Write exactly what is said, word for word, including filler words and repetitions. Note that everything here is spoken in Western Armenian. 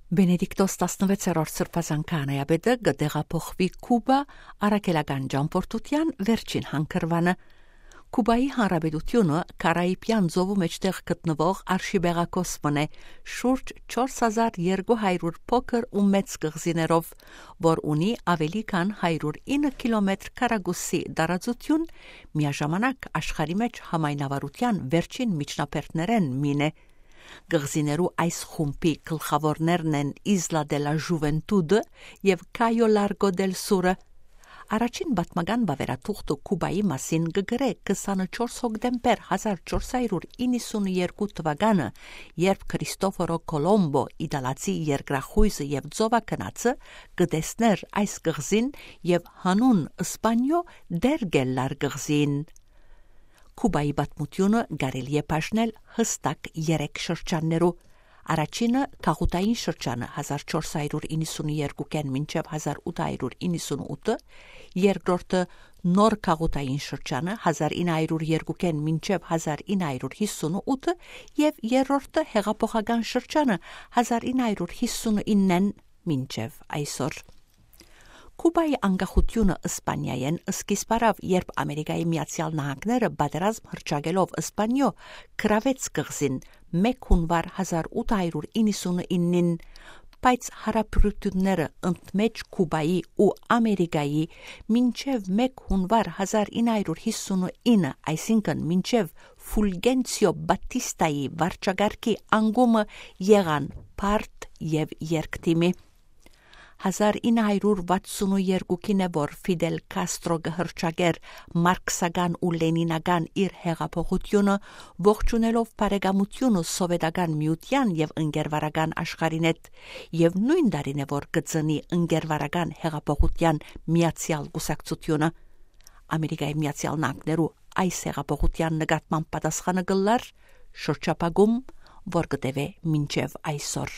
Բենեդիկտոս տասնվեցերորդ սրբազան քահանայապետը կը տեղափոխուի Քուբա առաքելական ճամբորդութեան վերջին հանգրուանը։ Քուբայի հանրապետութիւնը Կարաիբեան ծովու մէջտեղ գտնուող արշիպելագոս մըն է, շուրջ չորս հազար երկու հարիւր փոքր ու մեծ կղզիներով, որ ունի աւելի քան հարիւր ինը քիլոմեթր քառակուսի տարածութիւն, միաժամանակ աշխարհի մէջ համայնավարութեան վերջին միջնաբերդներէն մին է։ Կղզիներու այս խումբի գլխաւորներն են Isla de la Juventud-ը եւ Cayo Largo del Sur-ը։ Առաջին պատմական վաւերաթուղթը Քուբայի մասին կը գրէ քսանչորս հոկտեմբեր հազար չորս հարիւր իննսուններկու թուականը, երբ Քրիստոֆորո Կոլոմբո, իտալացի երկրախոյզը եւ ծովագնացը, կը տեսներ այս կղզին եւ հանուն Սպանիոյ դեռ կ'ելլար կղզին։ Քուբայի պատմութիւնը կարելի է բաժնել յստակ երեք շրջաններու։ Առաջինը՝ գաղութային շրջանը՝ հազար չորս հարիւր իննսուններկուքէն մինչեւ հազար ութ հարիւր իննսունութը, երկրորդը՝ նոր գաղութային շրջանը՝ հազար ինը հարիւր երկուքէն մինչեւ հազար ինը հարիւր յիսունութը եւ երրորդը՝ յեղափոխական շրջանը՝ հազար ինը հարիւր յիսունիննէն մինչեւ այսօր։ Քուբայի անկախութիւնը Սպանիայէն սկիզբ առաւ, երբ Ամերիկայի Միացեալ Նահանգները պատերազմ հռչակելով Սպանիոյ գրաւեց կղզին մէկ յունուար հազար ութ հարիւր իննսունիննին, բայց յարաբերութիւնները ընդմէջ Քուբայի ու Ամերիկայի մինչեւ մէկ յունուար հազար ինը հարիւր յիսունինը, այսինքն մինչեւ Ֆուլկենցիո Բատիստայի վարչակարգի անկումը, եղան բարդ եւ երկդիմի։ Հազար ինը հարիւր վաթսուններկուքին է, որ Ֆիդել Քաստրո կը հռչակէր մարքսական ու լենինական իր յեղափոխութիւնը, ողջունելով բարեկամութիւնը Սովետական Միութեան եւ ընկերվարական աշխարհին հետ, եւ նոյն տարին է, որ կը ծնի ընկերվարական յեղափոխութեան միացեալ կուսակցութիւնը։ Ամերիկայի Միացեալ Նահանգներու այս յեղափոխութեան նկատմամբ պատասխանը կ'ըլլար շրջափակում, որ կը տեւէ մինչեւ այսօր։